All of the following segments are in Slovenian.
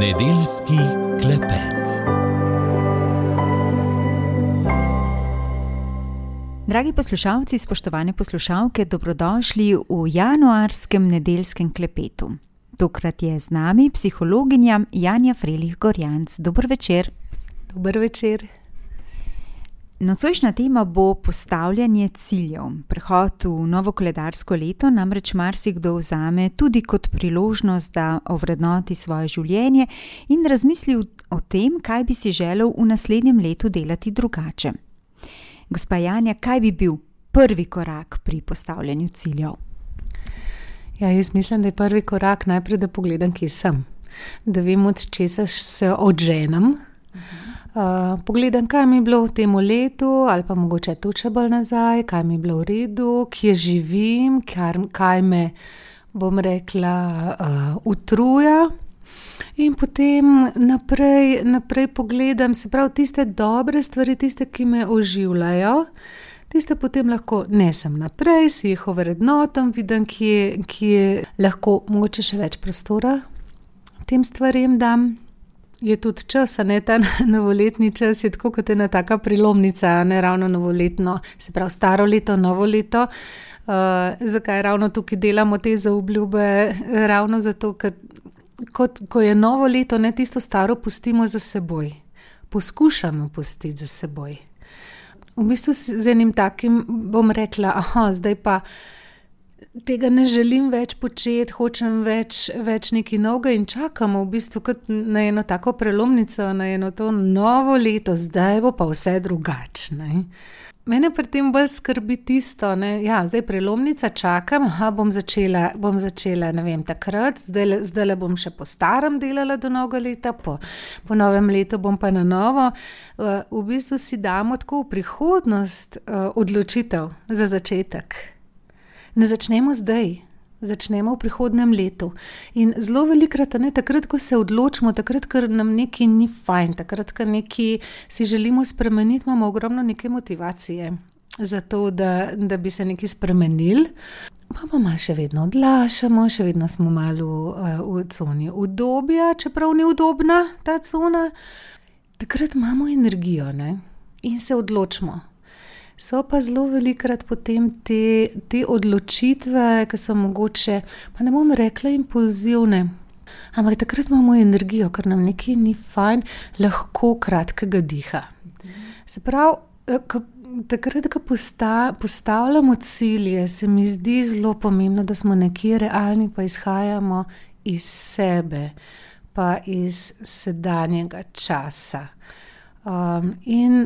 Nedeljski klepet. Dragi poslušalci, spoštovane poslušalke, dobrodošli v januarskem nedeljskem klepetu. Tokrat je z nami psihologinja Janja Frelih-Gorjanc. Dober večer. Dober večer. Nocojšnja tema bo postavljanje ciljev. Prehod v novo koledarsko leto namreč marsikdo vzame tudi kot priložnost, da ovrednoti svoje življenje in razmisli o tem, kaj bi si želel v naslednjem letu delati drugače. Gospa Janja, kaj bi bil prvi korak pri postavljanju ciljev? Ja, jaz mislim, da je prvi korak najprej, da pogledam, kje sem. Da vem, od česa se odženem. Pogledam, kaj mi je bilo v tem letu, ali pa mogoče tu še bolj nazaj, kaj mi je bilo v redu, kje živim, kaj me, bom rekla, utruja. In potem naprej pogledam, se pravi, tiste dobre stvari, tiste, ki me oživljajo, tiste potem lahko nesem naprej, si jih ovrednotam, vidim, kje lahko mogoče še več prostora tem stvarem dam. Je tudi čas, ne, ta novoletni čas je tako kot ena taka prelomnica, ne ravno novoletno, se pravi staro leto, novo leto. Zakaj ravno tukaj delamo te zaobljube? Ravno zato, ker ko je novo leto, ne, tisto staro pustimo za seboj. Poskušamo pustiti za seboj. V bistvu z enim takim bom rekla, zdaj pa tega ne želim več početi, hočem več nekaj novega in čakamo v bistvu kot na eno tako prelomnico, na eno to novo leto, zdaj bo pa vse drugače. Mene pri tem bolj skrbi tisto, zdaj prelomnica, čakam, bom začela, ne vem, takrat, zdajle bom še po starem delala do novega leta, po novem letu bom pa na novo. V bistvu si damo tako v prihodnost odločitev za začetek. Ne začnemo zdaj, začnemo v prihodnem letu. In zelo velikrat, takrat, ko se odločimo, takrat, ker nam nekaj ni fajn, takrat, ker nekaj si želimo spremeniti, imamo ogromno neke motivacije za to, da bi se nekaj spremenili. Pa malo še vedno odlašamo, še vedno smo malo v coni udobja, čeprav ni udobna ta cona. Takrat imamo energijo, in se odločimo. So pa zelo velikrat potem te odločitve, ki so mogoče, pa ne bom rekla impulzivne, ampak takrat imamo energijo, ker nam nekaj ni fajn, lahko kratkega diha. Se pravi, takrat, ko postavljamo cilje, se mi zdi zelo pomembno, da smo nekje realni, pa izhajamo iz sebe, pa iz sedanjega časa. In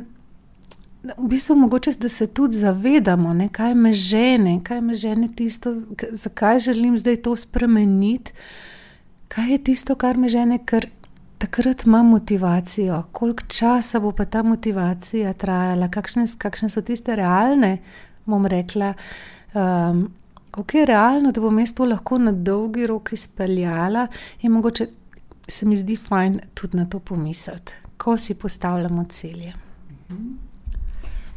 v bistvu mogoče, da se tudi zavedamo, kaj me žene tisto, zakaj želim zdaj to spremeniti, kaj je tisto, kar me žene, ker takrat imam motivacijo, koliko časa bo pa ta motivacija trajala, kakšne so tiste realne, bom rekla, koliko je realno, da bom jaz to lahko na dolgi rok izpeljala in mogoče se mi zdi fajn tudi na to pomisliti, ko si postavljamo cilje.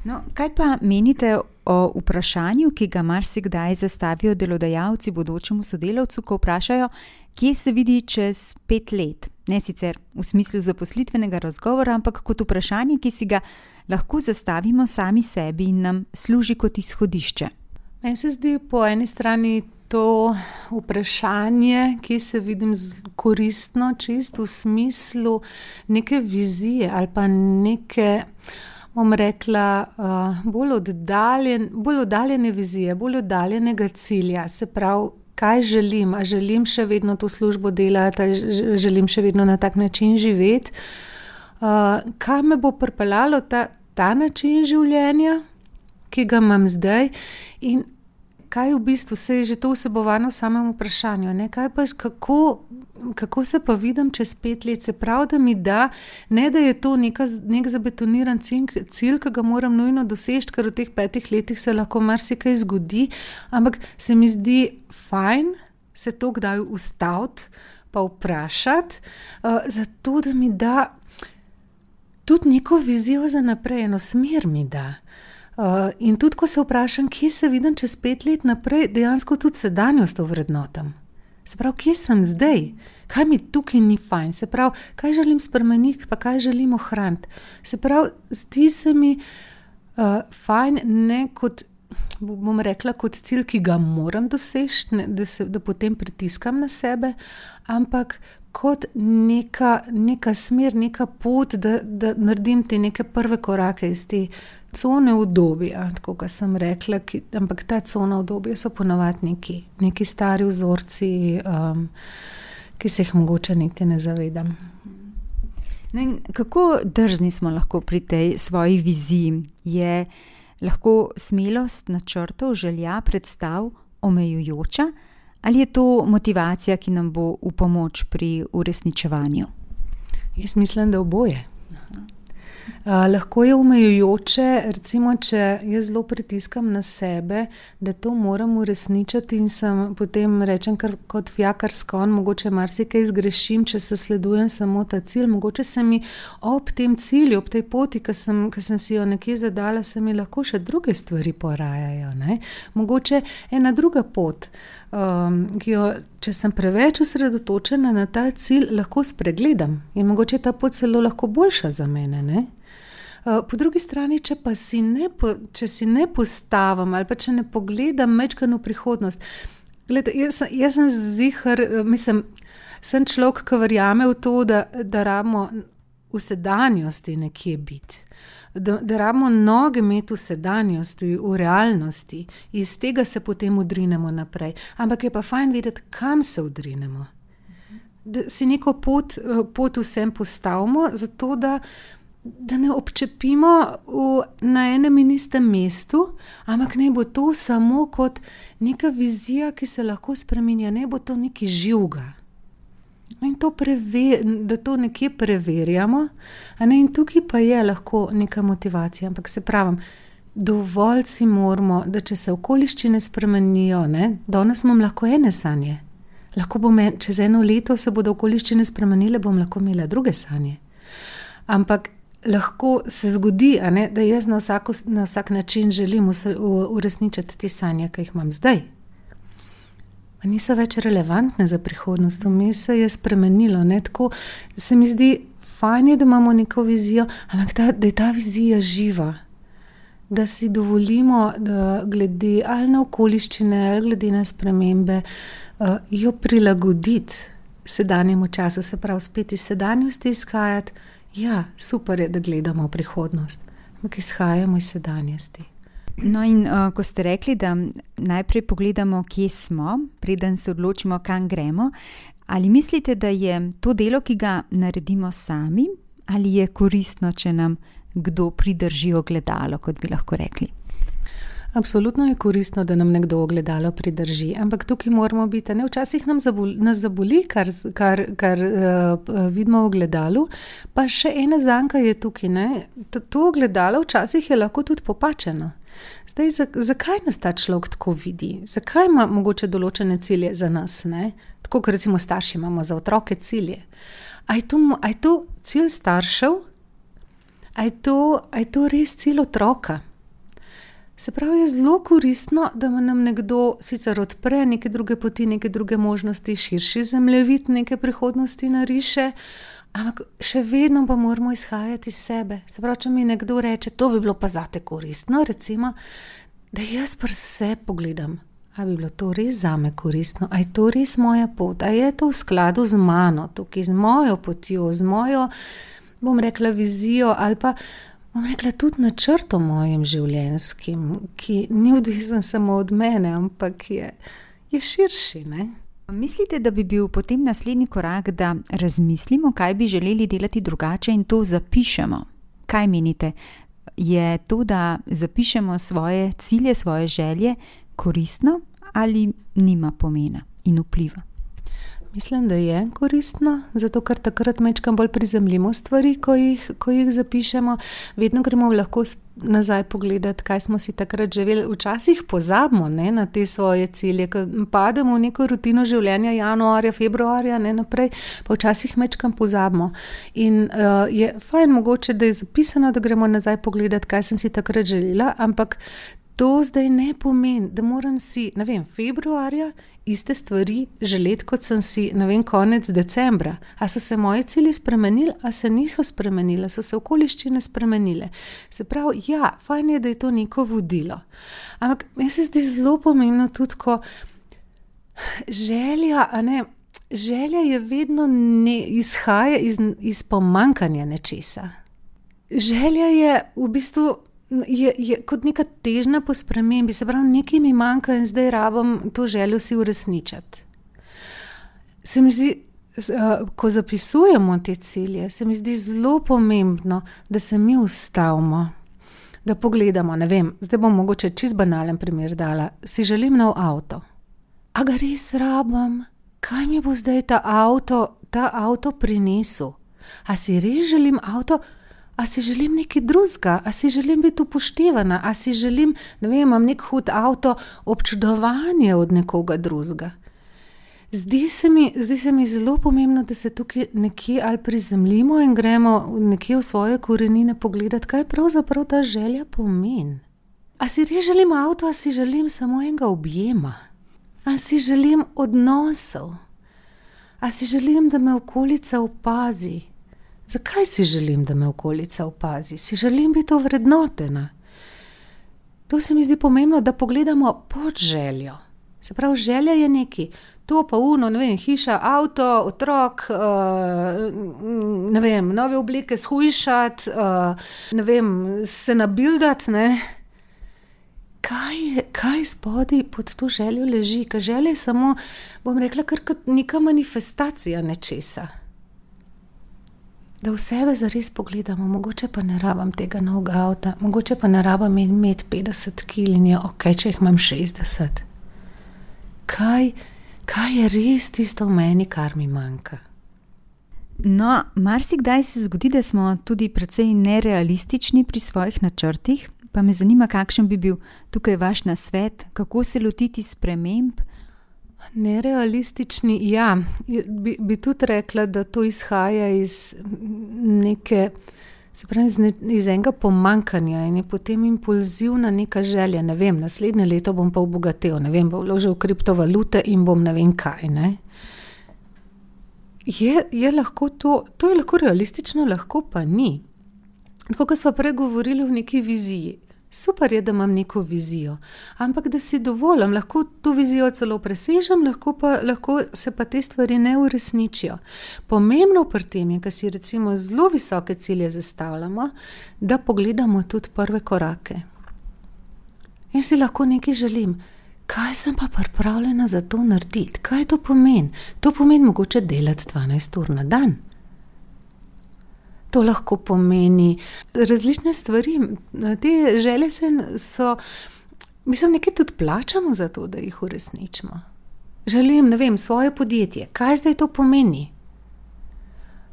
No, kaj pa menite o vprašanju, ki ga marsikdaj zastavijo delodajalci bodočemu sodelavcu, ko vprašajo, kje se vidi čez 5 let? Ne sicer v smislu zaposlitvenega razgovora, ampak kot vprašanje, ki si ga lahko zastavimo sami sebi in nam služi kot izhodišče. Meni se zdi po eni strani to vprašanje, kje se vidim koristno, čisto v smislu neke vizije ali pa neke, bom rekla, bolj oddaljene vizije, bolj oddaljenega cilja. Se pravi, kaj želim? A želim še vedno to službo delati, želim še vedno na tak način živeti? Kaj me bo pripeljalo ta način življenja, ki ga imam zdaj? In kaj v bistvu se je že to vsebovano v samem vprašanju? Kaj pa, kako se pa vidim čez 5 let? Se pravi, da mi da, ne da je to nek zabetoniran cilj, ki ga moram nujno doseči, ker v teh 5 letih se lahko marsikaj zgodi, ampak se mi zdi fajn se to kdaj ustaviti pa vprašati, zato da mi da tudi neko vizijo za naprej, eno smer mi da. In tudi, ko se vprašam, kje se vidim čez 5 let naprej, dejansko tudi sedanjost ovrednotam. Se pravi, kje sem zdaj? kaj mi tukaj ni fajn, se pravi, kaj želim spremeniti, pa kaj želim ohraniti. Se pravi, zdi se mi fajn, ne kot, bom rekla, kot cilj, ki ga moram doseči, da potem pritiskam na sebe, ampak kot neka smer, neka pot, da naredim te neke prve korake iz te cone udobja, tako kot sem rekla, ampak ta cona udobja so ponavadi neki stari vzorci, ki se jih mogoče niti ne zavedam. No in kako drzni smo lahko pri tej svoji viziji? Je lahko smelost načrtov, želja, predstav omejujoča? Ali je to motivacija, ki nam bo v pomoč pri uresničevanju? Jaz mislim, da oboje. Lahko je omejujoče, recimo, če jaz zelo pritiskam na sebe, da to moram uresničiti in sem potem rečem kot fijakar s konj, mogoče marsikaj zgrešim, če se sledujem samo ta cilj, mogoče se mi ob tem cilju, ob tej poti, ki sem si jo nekje zadala, se mi lahko še druge stvari porajajo, ne? Mogoče ena druga pot, ki jo, če sem preveč osredotočena na ta cilj, lahko spregledam in mogoče ta pot celo lahko boljša za mene, ne? Po drugi strani, če si ne postavim ali pa če ne pogledam majčkeno v prihodnost. Glede, jaz sem ziher, sem človek, ki verjame v to, da rabimo v sedanjosti nekje biti. Da rabimo noge imeti v sedanjosti, v realnosti. Iz tega se potem odrinemo naprej. Ampak je pa fajn vedeti, kam se odrinemo. Da si neko pot vsem postavimo, zato da ne občepimo na enem in istem mestu, ampak ne bo to samo kot neka vizija, ki se lahko spreminja, ne bo to nekaj živega. In da to nekje preverjamo, in tukaj pa je lahko neka motivacija, ampak se pravim, dovolj si moramo, da če se okoliščine spremenijo, danes imam lahko ene sanje, lahko čez 1 leto se bodo okoliščine spremenile, bom lahko imela druge sanje. Ampak lahko se zgodi, da jaz na vsak način želim uresničiti te sanje, ki jih imam zdaj. Niso več relevantne za prihodnost, vmes se je spremenilo. Tako se mi zdi fajn, da imamo neko vizijo, ampak da je ta vizija živa. Da si dovolimo, da glede ali na okoliščine, ali glede na spremembe, jo prilagoditi sedanjemu času, se pravi spet iz sedanjosti izhajati. Ja, super je, da gledamo v prihodnost, ampak izhajamo iz sedanjosti. No in ko ste rekli, da najprej pogledamo, kje smo, preden se odločimo, kam gremo, ali mislite, da je to delo, ki ga naredimo sami, ali je koristno, če nam kdo pridrži ogledalo, kot bi lahko rekli? Absolutno je koristno, da nam nekdo ogledalo pridrži, ampak tukaj moramo biti, včasih nas zaboli, kar vidimo v ogledalu, pa še ena zanka je tukaj, to ogledalo včasih je lahko tudi popačeno. Zdaj, zakaj nas ta človek tako vidi? Zakaj ima mogoče določene cilje za nas, Tako, kot recimo starši imamo za otroke cilje. A je to cilj staršev? A je to res cilj otroka? Se pravi, je zelo koristno, da nam nekdo sicer odpre neke druge poti, neke druge možnosti, širši zemljevid neke prihodnosti nariše, ampak še vedno pa moramo izhajati iz sebe. Se pravi, če mi nekdo reče, to bi bilo pa zate koristno, recimo, da jaz pri sebi pogledam, a bi bilo to res zame koristno, a je to res moja pot, a je to v skladu z mano, tukaj z mojo potjo, z mojo, bom rekla, vizijo ali pa bom rekla tudi načrtom mojim življenjskim, ki ni odvisen samo od mene, ampak je širši, Mislite, da bi bil potem naslednji korak, da razmislimo, kaj bi želeli delati drugače in to zapišemo? Kaj menite? Je to, da zapišemo svoje cilje, svoje želje koristno ali nima pomena in vpliva? Mislim, da je koristno, zato ker takrat majčkeno bolj prizemljimo stvari, ko jih zapišemo. Vedno gremo lahko nazaj pogledati, kaj smo si takrat želeli. Včasih pozabimo na te svoje cilje, ko pademo v neko rutino življenja januarja, februarja, naprej, pa včasih majčkeno pozabimo. In je fajn mogoče, da je zapisano, da gremo nazaj pogledati, kaj sem si takrat želela, ampak To zdaj ne pomeni, da moram si, ne vem, februarja iste stvari želeti, kot sem si, ne vem, konec decembra. A so se moji cilji spremenili, a se niso spremenili, a so se okoliščine spremenile. Se pravi, ja, fajn je, da je to neko vodilo. Ampak meni se zdi zelo pomembno tudi, ko želja je vedno izhaja iz pomanjkanja nečesa. Želja je v bistvu je kot neka težnja po spremembi, se pravi, nekaj mi manjka in zdaj rabim to željo si uresničiti. Se mi zdi, ko zapisujemo te cilje, se mi zdi zelo pomembno, da se mi ustavimo, da pogledamo, ne vem, zdaj bom mogoče čist banalen primer dala, si želim nov avto. A ga res rabim? Kaj mi bo zdaj ta avto prinesel? A si res želim avto? A si želim nekaj drugega? A si želim biti upoštevana? A si želim, ne vem, imam nek hud avto, občudovanje od nekoga drugega? Zdi se mi zelo pomembno, da se tukaj nekje ali prizemljimo in gremo nekje v svoje korenine pogledati, kaj pravzaprav ta želja pomeni. A si res želim avto, a si želim samo enega objema? A si želim odnosov? A si želim, da me okolica opazi? Zakaj si želim, da me okolica opazi? Si želim biti ovrednotena. To se mi zdi pomembno, da pogledamo pod željo. Se pravi, želja je nekaj. To pa ne vem, hiša, avto, otrok, ne vem, nove obleke shujšati, ne vem, se nabildati, ne. Kaj spodaj pod to željo leži? Ker želja je samo, bom rekla, kar kot neka manifestacija nečesa. Da v sebe zares pogledamo, mogoče pa ne rabim tega novega avta, mogoče pa ne rabim imeti 50 kil in je okej, če jih imam 60. Kaj je res tisto v meni, kar mi manjka? No, marsikdaj se zgodi, da smo tudi precej nerealistični pri svojih načrtih, pa me zanima, kakšen bi bil tukaj vaš nasvet, kako se lotiti sprememb? Nerealistični, ja, bi tudi rekla, da to izhaja iz neke, se pravi, iz enega pomanjkanja in je potem impulzivna neka želja, ne vem, naslednje leto bom pa obogatel, ne vem, bom vložil v kriptovalute in bom ne vem kaj, ne. Je lahko to je lahko realistično, lahko pa ni. Tako, kot sva prej govorili v neki viziji. Super je, da imam neko vizijo, ampak da si dovolim, lahko to vizijo celo presežem, lahko se pa te stvari ne uresničijo. Pomembno pri tem je, ko si recimo zelo visoke cilje zastavljamo, da pogledamo tudi prve korake. Jaz si lahko nekaj želim, kaj sem pa pripravljena za to narediti, kaj to pomeni? To pomeni mogoče delati 12 ur na dan. To lahko pomeni različne stvari. Te želje so, mislim, nekaj tudi plačamo za to, da jih uresničimo. Želim, ne vem, svoje podjetje. Kaj zdaj to pomeni?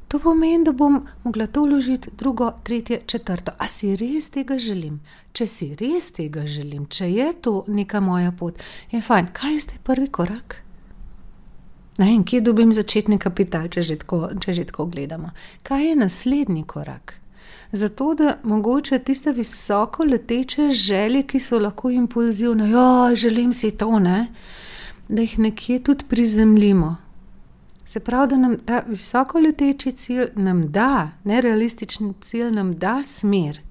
To pomeni, da bom mogla to vložiti drugo, tretje, četrto. A si res tega želim? Če si res tega želim, če je to neka moja pot, je fajn. Kaj je zdaj prvi korak? Ne vem, kje dobim začetni kapital, če že tako gledamo. Kaj je naslednji korak? Zato, da mogoče tiste visoko leteče želje, ki so lahko impulzivne, želim si to, ne? Da jih nekje tudi prizemljimo. Se pravi, da nam ta visoko leteči cilj nam da, nerealistični cilj nam da smer.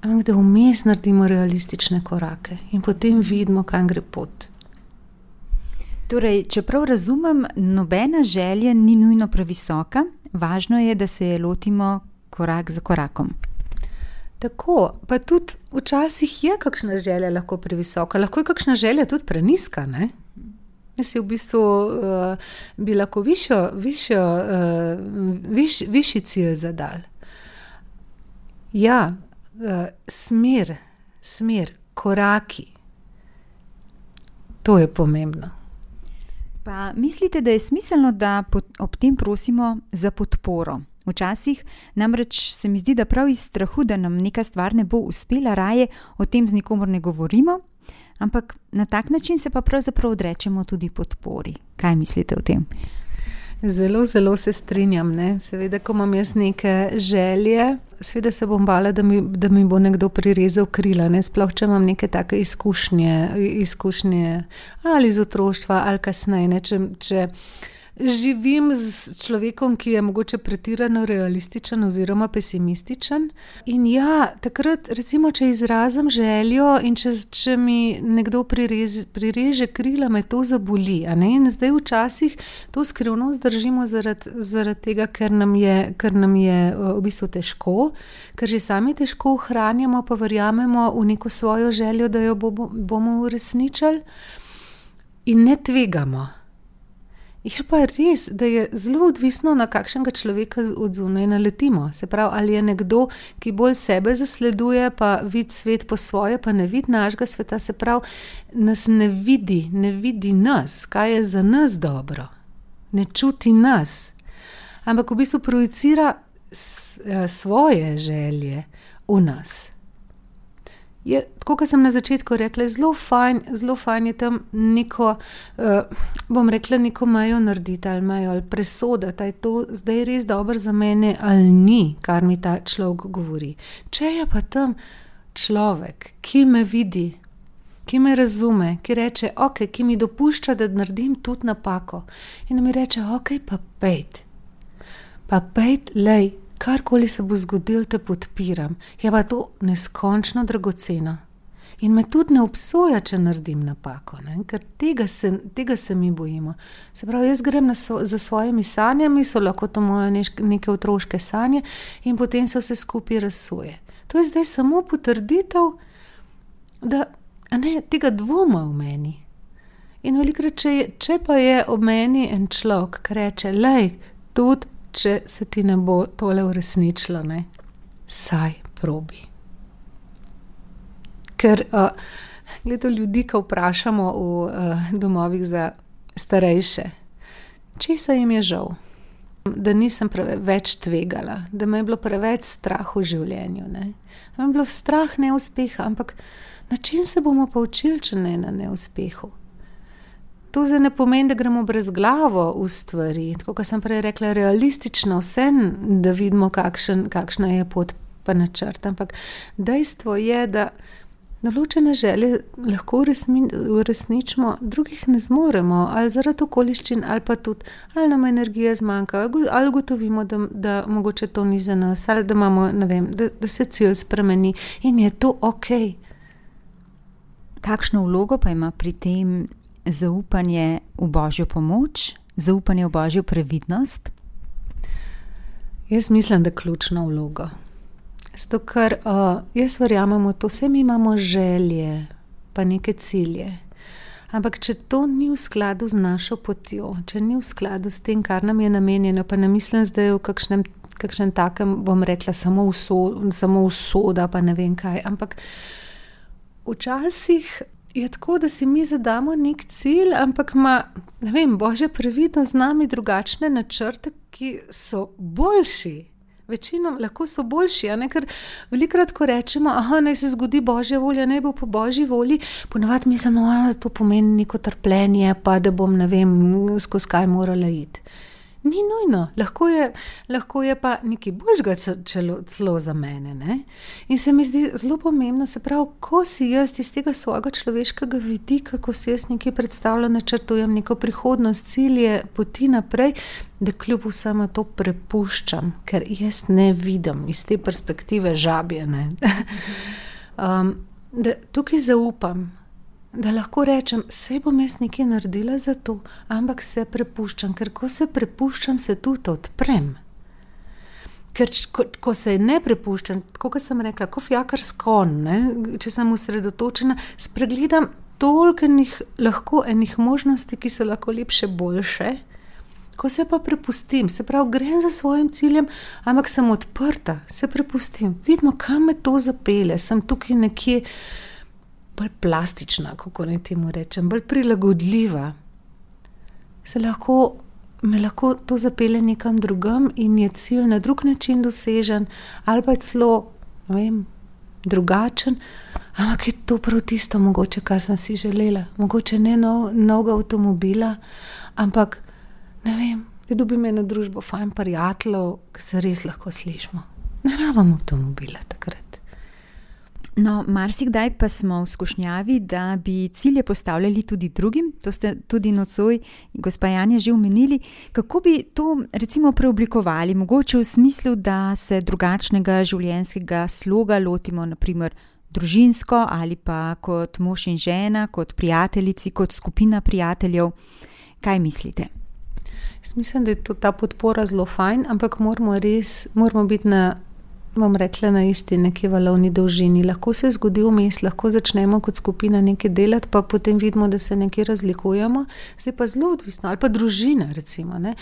Ampak da vmes naredimo realistične korake in potem vidimo, kam gre pot. Torej, čeprav razumem, nobena želja ni nujno previsoka, važno je, da se je lotimo korak za korakom. Tako, pa tudi včasih je kakšna želja lahko previsoka, lahko je kakšna želja tudi preniska, ne? Jaz si v bistvu bi lahko višji cilj zadal. Ja, smer, koraki. To je pomembno. Pa mislite, da je smiselno, da ob tem prosimo za podporo? Včasih namreč se mi zdi, da prav iz strahu, da nam neka stvar ne bo uspela, raje o tem z nikomor ne govorimo, ampak na tak način se pa pravzaprav odrečemo tudi podpori. Kaj mislite o tem? Zelo, zelo se strinjam, ne. Seveda, ko imam jaz neke želje, seveda se bom bala, da mi bo nekdo prirezal krila, ne. Sploh, če imam neke take izkušnje ali iz otroštva ali kasneje, ne. Če živim s človekom, ki je mogoče pretirano realističen oziroma pesimističen. In ja, takrat recimo, če izrazim željo in če mi nekdo prireže krila, me to zaboli, a ne. In zdaj včasih to skrivnost držimo zaradi tega, ker nam je v bistvu težko, ker že sami težko ohranjamo, pa verjamemo v neko svojo željo, da jo bomo uresničili in ne tvegamo. Je pa res, da je zelo odvisno, na kakšnega človeka od zunaj naletimo. Se pravi, ali je nekdo, ki bolj sebe zasleduje, pa vidi svet po svoje, pa ne vidi našega sveta, se pravi, nas ne vidi nas, kaj je za nas dobro. Ne čuti nas. Ampak v bistvu projicira svoje želje v nas. Je, tako kot sem na začetku rekla, zelo fajn je tam neko, bom rekla, neko mejo narediti ali presoditi, je to zdaj res dobro za mene ali ni, kar mi ta človek govori. Če je pa tam človek, ki me vidi, ki me razume, ki reče, ok, ki mi dopušča, da naredim tudi napako in mi reče, ok, pa pejt, lej, karkoli se bo zgodilo, te podpiram. Je pa to neskončno dragoceno. In me tudi ne obsoja, če naredim napako, ne? Ker tega se mi bojimo. Se pravi, jaz grem za svojimi sanjami, so lahko to moje neke otroške sanje in potem se vse skupaj razsuje. To je zdaj samo potrditev, da tega dvoma v meni. In velikokrat, če pa je ob meni en človek, ki reče, lej, tudi če se ti ne bo tole uresničilo, ne, saj probi. Ker, gledaj, ljudi, ko vprašamo v domovih za starejše, česa jim je žal? Da nisem več tvegala, da me je bilo preveč strah v življenju, ne. Da me je bilo strah neuspeha, ampak na čem se bomo pa učili, če ne na neuspehu? To zdaj ne pomeni, da gremo brezglavo v stvari, tako kot sem prej rekla, realistično vse, da vidimo, kakšna je pot pa načrt, ampak dejstvo je, da določene želje lahko uresničimo, drugih ne zmoremo, ali zaradi okoliščin, ali pa tudi, ali nam energija zmanjka, ali ugotovimo, da mogoče to ni za nas, ali da imamo, ne vem, da se cilj spremeni in je to okej. Kakšno vlogo pa ima pri tem zaupanje v Božjo pomoč, zaupanje v Božjo previdnost? Jaz mislim, da ključno vlogo. Zato, ker jaz verjamem v to, vse mi imamo želje, pa neke cilje. Ampak če to ni v skladu z našo potjo, če ni v skladu s tem, kar nam je namenjeno, pa ne mislim zdaj v kakšnem takem, bom rekla, samo usoda, pa ne vem kaj, ampak včasih je tako, da si mi zadamo nek cilj, ampak ima, ne vem, Božja previdnost z nami drugačne načrte, ki so boljši. Večinom lahko so boljši, a ne, ker velikokrat, ko rečemo, naj se zgodi Božja volja, naj bo po Božji volji, ponavadi mislimo, da to pomeni neko trpljenje, pa da bom, ne vem, skozi kaj morala iti. Ni nujno, lahko je pa nekaj božjega celo za mene, ne? In se mi zdi zelo pomembno, se pravi, ko si jaz iz tega svojega človeškega vidika, ko si jaz nekaj predstavljam, načrtujem neko prihodnost, cilje, poti naprej, da kljub vsemu to prepuščam, ker jaz ne vidim iz te perspektive žabje, ne? Da tukaj zaupam, da lahko rečem, saj bom jaz nekaj naredila za to, ampak se prepuščam, ker ko se prepuščam, se tudi odprem. Ker ko se ne prepuščam, tako kot sem rekla, kot fijakar s konj, ne, če sem osredotočena, spregledam toliko lahko enih možnosti, ki so lahko lepše, boljše. Ko se pa prepustim, se pravi, grem za svojim ciljem, ampak sem odprta, se prepustim. Vidimo, kam me to zapelje, sem tukaj nekje bolj plastična, kako naj temu rečem, bolj prilagodljiva. Me lahko to zapelje nekam drugam in je cilj na drug način dosežen, ali pa je celo, ne vem, drugačen, ampak je to prav tisto mogoče, kar sem si želela. Mogoče ne novega avtomobila, ampak, ne vem, da dobim eno družbo fajn prijateljev, ki se res lahko slišimo. Ne rabim avtomobila takrat. No, marsikdaj pa smo v skušnjavi, da bi cilje postavljali tudi drugim. To ste tudi nocoj, gospa Janja, že omenili. Kako bi to recimo preoblikovali? Mogoče v smislu, da se drugačnega življenjskega sloga lotimo, naprimer družinsko ali pa kot mož in žena, kot prijateljici, kot skupina prijateljev. Kaj mislite? Jaz mislim, da je ta podpora zelo fajn, ampak moramo biti na isti neki valovni dolžini. Lahko se zgodi vmes, lahko začnemo kot skupina nekaj delati, pa potem vidimo, da se nekaj razlikujemo. Zdaj pa zelo odvisno, ali pa družina recimo, ne.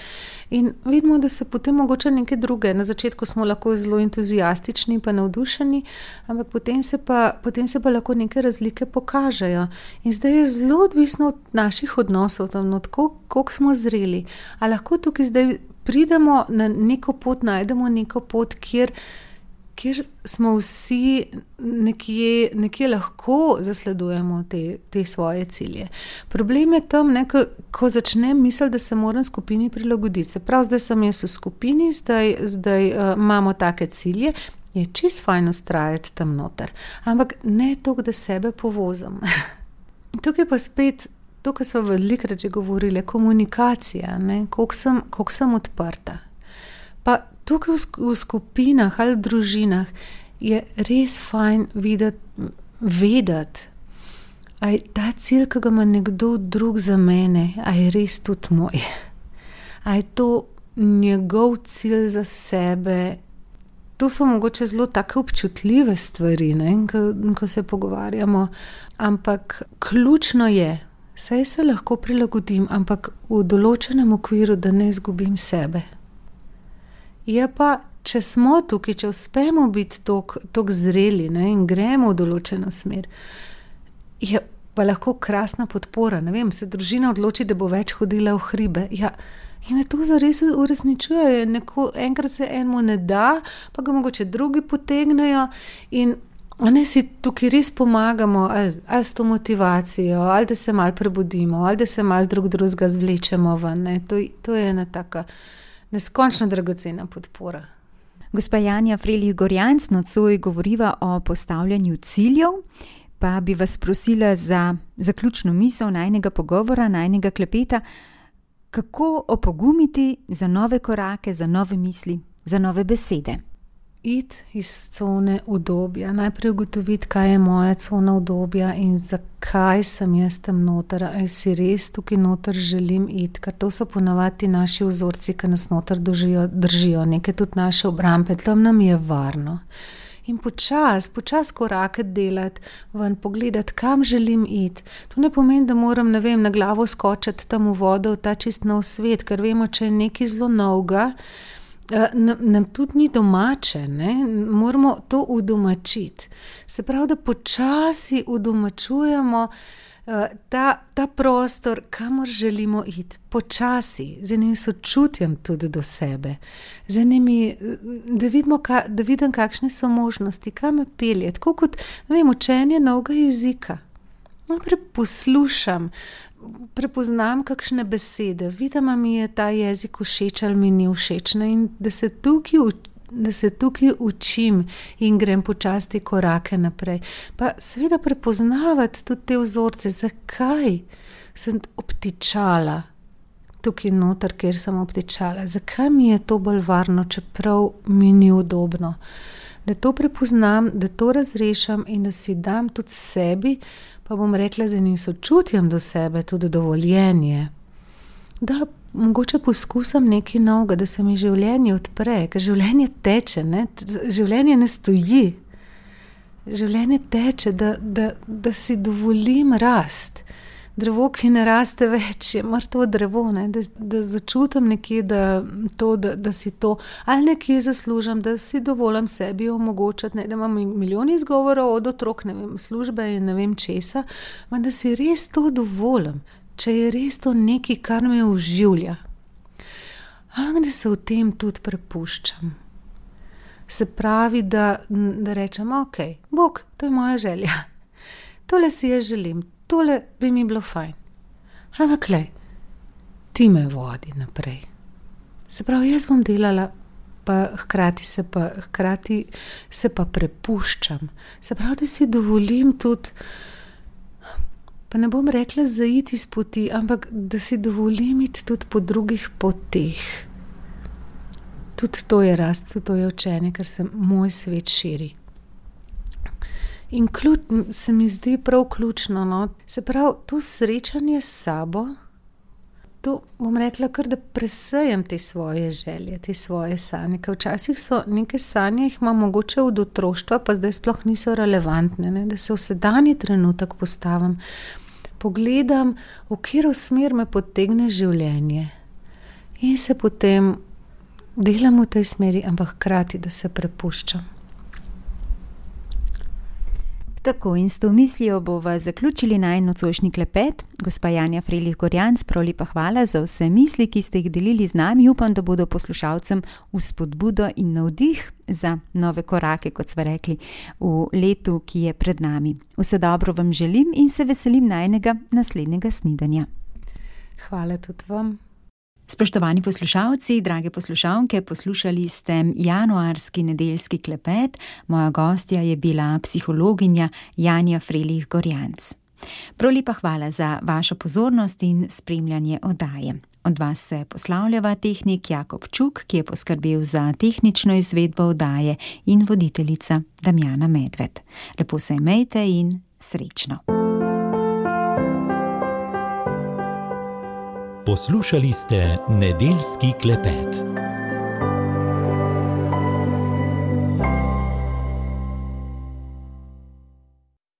In vidimo, da se potem mogoče nekaj druge. Na začetku smo lahko zelo entuzijastični pa navdušeni, ampak potem se pa lahko neke razlike pokažejo. In zdaj je zelo odvisno od naših odnosov, koliko smo zreli. A lahko tukaj zdaj pridemo na neko pot, najdemo neko pot, kjer smo vsi nekje lahko zasledujemo te svoje cilje. Problem je tam, ko začnem misliti, da se moram skupini prilagoditi. Se pravi, zdaj sem jaz v skupini, zdaj imamo take cilje, je čisto fajn vztrajati tam noter. Ampak ne toliko, da sebe povozim. Tukaj pa spet, to, kar smo velikokrat že govorili, komunikacija, koliko sem odprta. Pa tukaj v skupinah ali v družinah je res fajn vedeti, a je ta cilj, ki ga ima nekdo drug za mene, a je res tudi moj. A je to njegov cilj za sebe. To so mogoče zelo take občutljive stvari, ko se pogovarjamo. Ampak ključno je, saj se lahko prilagodim, ampak v določenem okviru, da ne izgubim sebe. Je pa, če smo tukaj, če uspemo biti toliko zreli in gremo v določeno smer, je pa lahko krasna podpora. Ne vem, se družina odloči, da bo več hodila v hribe. Ja, in to zares uresničuje. Enkrat se enemu ne da, pa ga mogoče drugi potegnejo in si tukaj res pomagamo, ali s to motivacijo, ali da se malo prebudimo, ali da se malo drugega zvlečemo ven. To je ena taka neskončno dragocena podpora. Gospa Janja Frelih-Gorjanc, nocoj govoriva o postavljanju ciljev, pa bi vas prosila za zaključno misel najinega pogovora, najinega klepeta, kako opogumiti za nove korake, za nove misli, za nove besede. Iti iz cone udobja, najprej ugotoviti, kaj je moja cona udobja in zakaj sem jaz tam noter, ali si res tukaj noter želim iti, ker to so ponavadi naši vzorci, ki nas noter držijo, neke tudi naše obrambe, tam nam je varno. In počas korake delati, ven pogledati, kam želim iti. To ne pomeni, da moram, na glavo skočiti tam v vodo, v ta čist nov svet, ker vemo, če je nekaj zelo novega, nam tudi ni domače, moramo to udomačiti. Se pravi, da počasi udomačujemo ta prostor, kamor želimo iti. Počasi, z enim sočutjem tudi do sebe. Z enimi, da vidim, kakšne so možnosti, kam me pelje. Tako kot, učenje novega jezika. Najprej poslušam, prepoznam kakšne besede, vidim, mi je ta jezik všeč ali mi ni všeč, in da se tukaj učim in grem počasi te korake naprej. Pa seveda prepoznavati tudi te vzorce, zakaj sem obtičala tukaj noter, kjer sem obtičala, zakaj mi je to bolj varno, čeprav mi ni udobno. Da to prepoznam, da to razrešam in da si dam tudi sebi, pa bom rekla, z enim sočutjem do sebe, tudi dovoljenje, da mogoče poskusim nekaj novega, da se mi življenje odpre, ker življenje teče, življenje ne stoji. Življenje teče, da si dovolim rast. Drevo, ki ne raste več, je mrtvo drevo, da začutim nekje, da si to, ali nekje zaslužim, da si dovolim sebi omogočati, da imam milijon izgovorov od otrok, službe in ne vem česa, da si res to dovolim, če je res to nekaj, kar me oživlja. Da se v tem tudi prepuščam. Se pravi, da rečem, ok, Bog, to je moja želja. Tole si jaz želim. Tole bi mi bilo fajn. Ampak ti me vodi naprej. Se pravi, jaz bom delala, pa hkrati se pa prepuščam. Se pravi, da si dovolim tudi, pa ne bom rekla zaiti iz poti, ampak da si dovolim iti tudi po drugih poteh. Tudi to je rast, tudi to je učenje, ker se moj svet širi. In se mi zdi prav ključno, no. Se pravi, to srečanje s sabo, to bom rekla kar, da presejem te svoje želje, te svoje sanje, ker včasih so neke sanje, jih imam mogoče od otroštva, pa zdaj sploh niso relevantne, ne? Da se v sedanji trenutek postavim, pogledam, v katero smer me potegne življenje in se potem delam v tej smeri, ampak hkrati, da se prepuščam. Tako, in s to mislijo bova zaključili najin nocojšnji klepet. Gospa Janja Frelih Gorjanc, prav lepa hvala za vse misli, ki ste jih delili z nami. Upam, da bodo poslušalcem vzpodbudo in navdih za nove korake, kot sva rekli, v letu, ki je pred nami. Vse dobro vam želim in se veselim najinega naslednjega snidenja. Hvala tudi vam. Spoštovani poslušalci, drage poslušalke, poslušali ste januarski nedeljski klepet. Moja gostja je bila psihologinja Janja Frelih Gorjanc. Prav lepa hvala za vašo pozornost in spremljanje oddaje. Od vas se poslavljava tehnik Jakob Čuk, ki je poskrbel za tehnično izvedbo oddaje, in voditeljica Damjana Medved. Lepo se imejte in srečno. Poslušali ste nedeljski klepet.